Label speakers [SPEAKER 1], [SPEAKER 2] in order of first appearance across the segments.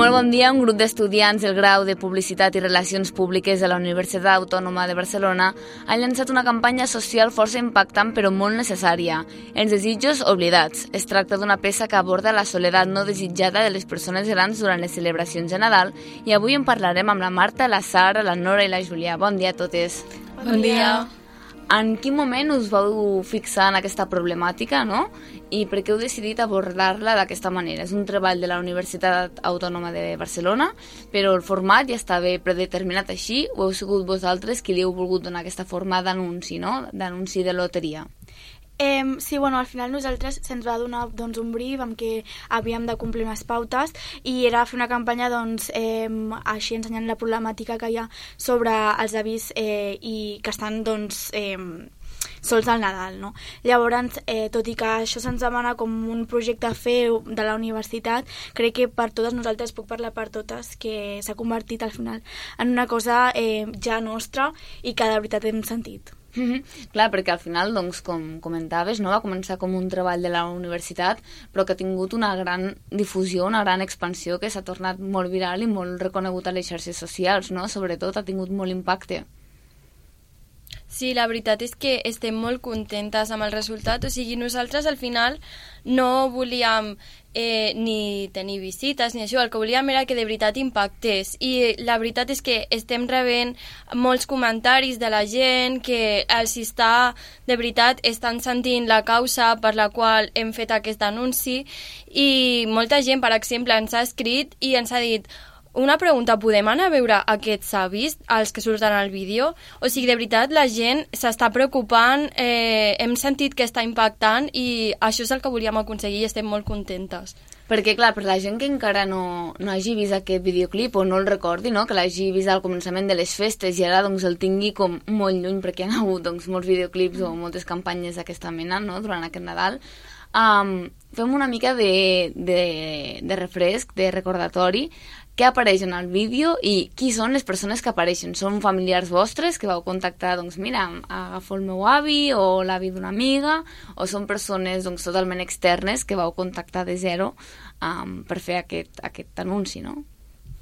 [SPEAKER 1] Molt bon dia. Un grup d'estudiants del grau de Publicitat i Relacions Públiques de la Universitat Autònoma de Barcelona ha llançat una campanya social força impactant però molt necessària. Els desitjos oblidats. Es tracta d'una peça que aborda la soledat no desitjada de les persones grans durant les celebracions de Nadal i avui en parlarem amb la Marta, la Sara, la Nora i la Júlia. Bon dia a totes.
[SPEAKER 2] Bon dia.
[SPEAKER 1] En quin moment us vau fixar en aquesta problemàtica, no? I per què heu decidit abordar-la d'aquesta manera? És un treball de la Universitat Autònoma de Barcelona, però el format ja estava predeterminat així, o heu sigut vosaltres qui li heu volgut donar aquesta forma d'anunci, no? D'anunci de loteria.
[SPEAKER 2] Sí, bueno, al final nosaltres se'ns va donar un brief amb què havíem de complir unes pautes i era fer una campanya així ensenyant la problemàtica que hi ha sobre els avis i que estan sols al Nadal, no? Llavors, tot i que això se'ns demana com un projecte a fer de la universitat, crec que per totes nosaltres, puc parlar per totes, que s'ha convertit al final en una cosa ja nostra i que de veritat hem sentit.
[SPEAKER 1] Clar, perquè al final, doncs, com comentaves, no, va començar com un treball de la universitat, però que ha tingut una gran difusió, una gran expansió, que s'ha tornat molt viral i molt reconegut a les xarxes socials, no? Sobretot ha tingut molt impacte.
[SPEAKER 3] Sí, la veritat és que estem molt contentes amb el resultat. O sigui, nosaltres al final no volíem ni tenir visites ni això, el que volíem era que de veritat impactés. I la veritat és que estem rebent molts comentaris de la gent que els està, de veritat, estan sentint la causa per la qual hem fet aquest anunci i molta gent, per exemple, ens ha escrit i ens ha dit: una pregunta, podem anar a veure aquests avis, els que surten al vídeo? O sigui, de veritat, la gent s'està preocupant, hem sentit que està impactant i això és el que volíem aconseguir i estem molt contentes.
[SPEAKER 1] Perquè, clar, per la gent que encara no hagi vist aquest videoclip o no el recordi, no? Que l'hagi vist al començament de les festes i ara doncs, el tingui com molt lluny perquè hi ha hagut doncs, molts videoclips o moltes campanyes d'aquesta mena, no? Durant aquest Nadal, fem una mica de refresc, de recordatori, què apareix en el vídeo i qui són les persones que apareixen. Són familiars vostres que vau contactar, doncs mira, agafo el meu avi o l'avi d'una amiga, o són persones doncs, totalment externes que vau contactar de zero per fer aquest anunci, no?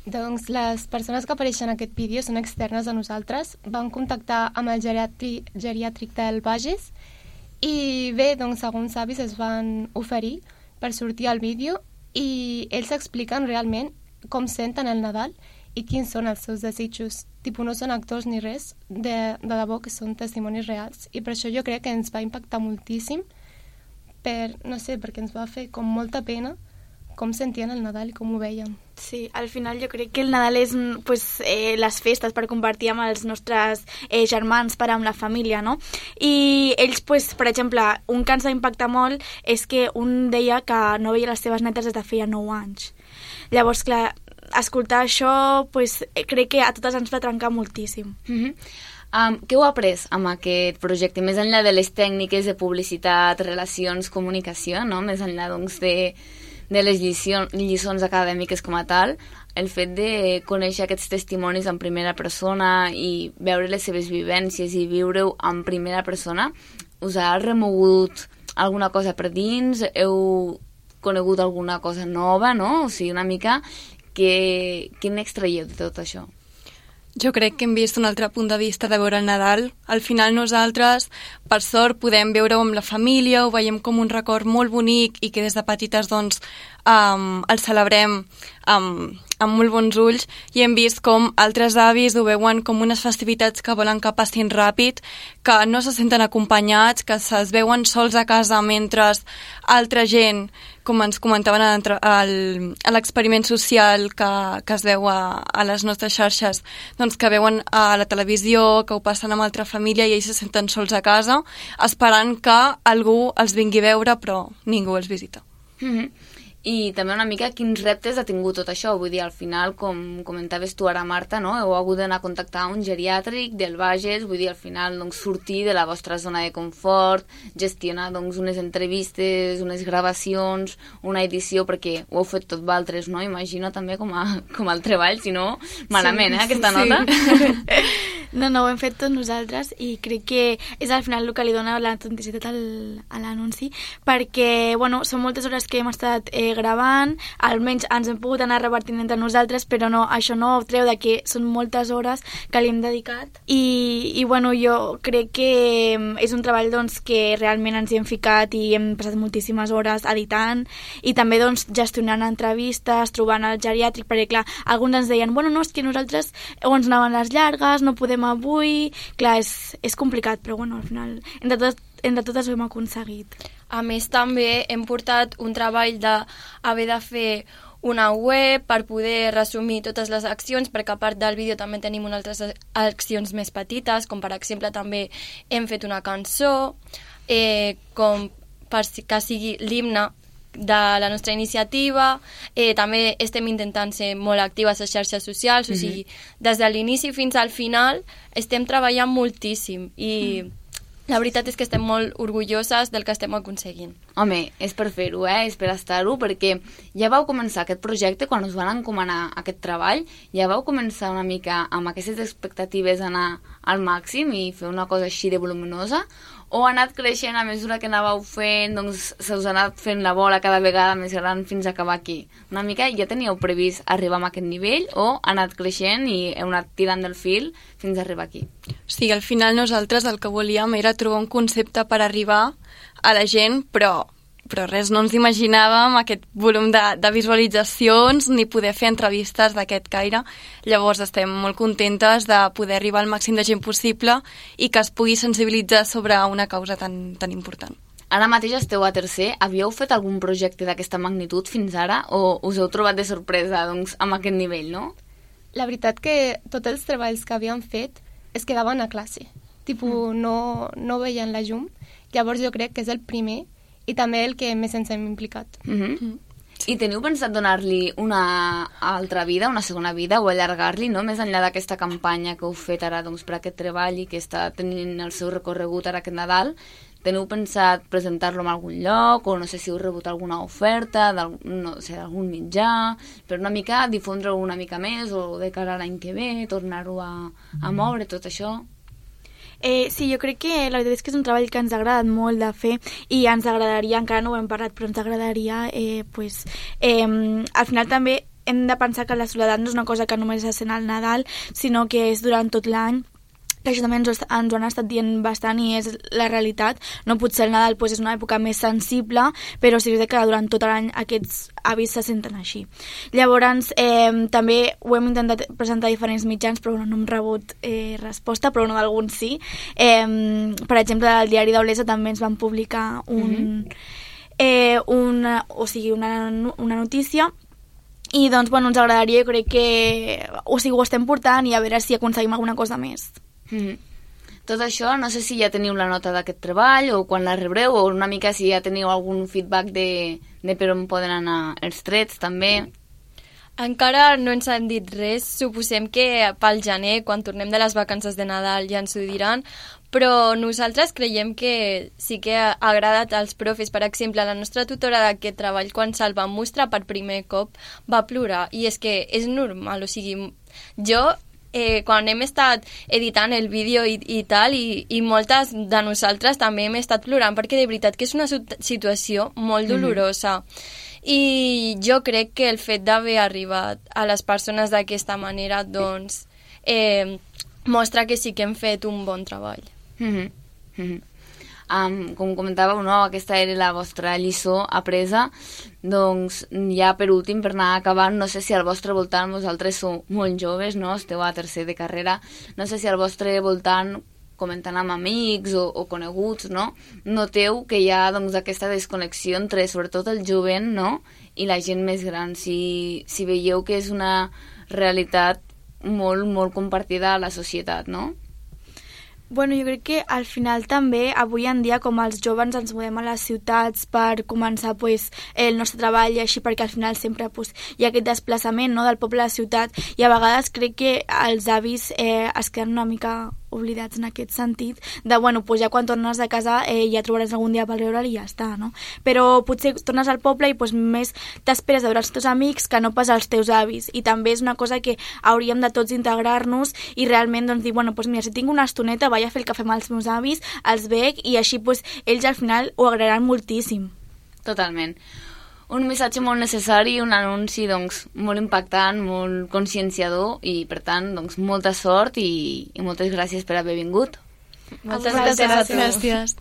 [SPEAKER 4] Doncs les persones que apareixen en aquest vídeo són externes a nosaltres. Vam contactar amb el geriàtric del Bages i bé, doncs alguns avis es van oferir per sortir al vídeo i ells expliquen realment com senten el Nadal i quins són els seus desitjos. No són actors ni res, de debò que són testimonis reals. I per això jo crec que ens va impactar moltíssim, perquè ens va fer com molta pena com sentien el Nadal i com ho veien.
[SPEAKER 2] Sí, al final jo crec que el Nadal és les festes per compartir amb els nostres germans, per amb la família, no? I ells, per exemple, un que ens va impactar molt és que un deia que no veia les seves netes des de feia 9 anys. Llavors, clar, escoltar això crec que a totes ens va trencar moltíssim.
[SPEAKER 1] Què heu après amb aquest projecte? Més enllà de les tècniques de publicitat, relacions, comunicació, no? Més enllà doncs, de les lliçons acadèmiques com a tal, el fet de conèixer aquests testimonis en primera persona i veure les seves vivències i viure-ho en primera persona, us ha remogut alguna cosa per dins? Heu conegut alguna cosa nova, no? O sigui, una mica, què n'extraieu de tot això?
[SPEAKER 5] Jo crec que hem vist un altre punt de vista de veure el Nadal. Al final nosaltres, per sort, podem veure-ho amb la família, ho veiem com un record molt bonic i que des de petites doncs, el celebrem amb molt bons ulls i hem vist com altres avis ho veuen com unes festivitats que volen que passin ràpid, que no se senten acompanyats, que es veuen sols a casa mentre altra gent, com ens comentaven a l'experiment social que es veu a les nostres xarxes, doncs que veuen a la televisió, que ho passen amb altra família i ells se senten sols a casa, esperant que algú els vingui a veure, però ningú els visita.
[SPEAKER 1] I també una mica quins reptes ha tingut tot això. Vull dir, al final, com comentaves tu ara, Marta, no? Heu hagut d'anar a contactar un geriàtric del Bages, vull dir, al final, doncs, sortir de la vostra zona de confort, gestionar, doncs, unes entrevistes, unes gravacions, una edició, perquè ho heu fet tot vosaltres, no? Imagino també com el treball, si no, malament, aquesta nota.
[SPEAKER 2] No, ho hem fet tots nosaltres i crec que és al final el que li dona l'autenticitat a l'anunci, perquè, bueno, són moltes hores que hem estat gravant, almenys ens hem pogut anar repartint entre nosaltres, però no, això no treu de que són moltes hores que li hem dedicat i bueno, jo crec que és un treball doncs, que realment ens hi hem ficat i hem passat moltíssimes hores editant i també doncs, gestionant entrevistes, trobant el geriàtric, perquè clar, alguns ens deien, bueno, no, és que nosaltres o ens anaven les llargues, no podem avui, clar, és complicat, però bueno, al final, entre totes ho hem aconseguit.
[SPEAKER 3] A més, també hem portat un treball d'haver de fer una web per poder resumir totes les accions, perquè a part del vídeo també tenim unes altres accions més petites, com per exemple també hem fet una cançó, com per que sigui l'himne de la nostra iniciativa, també estem intentant ser molt actives a xarxes socials, o sigui, des de l'inici fins al final estem treballant moltíssim i la veritat és que estem molt orgulloses del que estem aconseguint.
[SPEAKER 1] Home, és per fer-ho, és per estar-ho, perquè ja vau començar aquest projecte, quan us van encomanar aquest treball, ja vau començar una mica amb aquestes expectatives anar al màxim i fer una cosa així de voluminosa, o ha anat creixent a mesura que anàveu fent, doncs se us ha anat fent la bola cada vegada més gran fins a acabar aquí? Una mica ja teníeu previst arribar a aquest nivell o ha anat creixent i heu anat tirant del fil fins a arribar aquí?
[SPEAKER 5] Sí, al final nosaltres el que volíem era trobar un concepte per arribar a la gent, però res, no ens imaginàvem aquest volum de visualitzacions ni poder fer entrevistes d'aquest caire. Llavors estem molt contentes de poder arribar al màxim de gent possible i que es pugui sensibilitzar sobre una causa tan important.
[SPEAKER 1] Ara mateix esteu a tercer. Havíeu fet algun projecte d'aquesta magnitud fins ara o us heu trobat de sorpresa doncs, amb aquest nivell, no?
[SPEAKER 4] La veritat que tots els treballs que havíem fet es quedaven a classe. No veien la llum. Llavors jo crec que és el primer i també el que més ens hem implicat.
[SPEAKER 1] I teniu pensat donar-li una altra vida, una segona vida, o allargar-li, no? Més enllà d'aquesta campanya que heu fet ara doncs, per aquest treball i que està tenint el seu recorregut ara aquest Nadal, teniu pensat presentar-lo en algun lloc, o no sé si heu rebut alguna oferta d'algun mitjà, per una mica difondre-ho una mica més, o de cara a l'any que ve, tornar-ho a moure, tot això?
[SPEAKER 2] Sí, jo crec que la veritat és que és un treball que ens ha agradat molt de fer i ens agradaria, encara no ho hem parlat, però ens agradaria, al final també hem de pensar que la soledat no és una cosa que només es sent al Nadal, sinó que és durant tot l'any, que això també ens ho han estat dient bastant i és la realitat. No potser el Nadal és una època més sensible, però sí que durant tot l'any aquests avis se senten així. Llavors, també ho hem intentat presentar a diferents mitjans, però no hem rebut resposta, però no d'alguns sí. Per exemple, al diari d'Olesa també ens van publicar una notícia i doncs, bueno, ens agradaria, jo crec que ho estem portant i a veure si aconseguim alguna cosa més.
[SPEAKER 1] Tot això, no sé si ja teniu la nota d'aquest treball o quan la rebreu, o una mica si ja teniu algun feedback de per on poden anar els trets també.
[SPEAKER 3] Encara no ens han dit res, suposem que pel gener, quan tornem de les vacances de Nadal, ja ens ho diran, però nosaltres creiem que sí que ha agradat als profes. Per exemple, la nostra tutora d'aquest treball, quan se'l va mostrar per primer cop, va plorar, i és que és normal, o sigui, jo quan hem estat editant el vídeo i tal, i moltes de nosaltres també hem estat plorant, perquè de veritat que és una situació molt dolorosa. I jo crec que el fet d'haver arribat a les persones d'aquesta manera doncs mostra que sí que hem fet un bon treball.
[SPEAKER 1] Com comentàveu, no? Aquesta era la vostra lliçó apresa. Doncs ja per últim, per anar acabant, no sé si al vostre voltant, vosaltres sou molt joves, no? Esteu a tercer de carrera, no sé si al vostre voltant, comentant amb amics o coneguts, no? Noteu que hi ha doncs, aquesta desconnexió entre sobretot el jovent, no? I la gent més gran, si veieu que és una realitat molt, molt compartida a la societat, no?
[SPEAKER 2] Bueno, jo crec que al final també, avui en dia, com els joves ens movem a les ciutats per començar el nostre treball i així, perquè al final sempre hi ha aquest desplaçament, no?, del poble a la ciutat, i a vegades crec que els avis es queden una mica oblidats en aquest sentit, de, bueno, pues ja quan tornes a casa ja trobaràs algun dia per veure'l i ja està, no? Però potser tornes al poble i pues, més t'esperes de veure els teus amics que no pas els teus avis, i també és una cosa que hauríem de tots integrar-nos i realment doncs, dir, bueno, pues mira, si tinc una estoneta vaig a fer el cafè amb els meus avis, els veig i així pues, ells al final ho agrairan moltíssim.
[SPEAKER 1] Totalment. Un missatge molt necessari, un anunci doncs, molt impactant, molt conscienciador i, per tant, doncs, molta sort i moltes gràcies per haver vingut.
[SPEAKER 3] Moltes gràcies a tu.
[SPEAKER 5] Gràcies.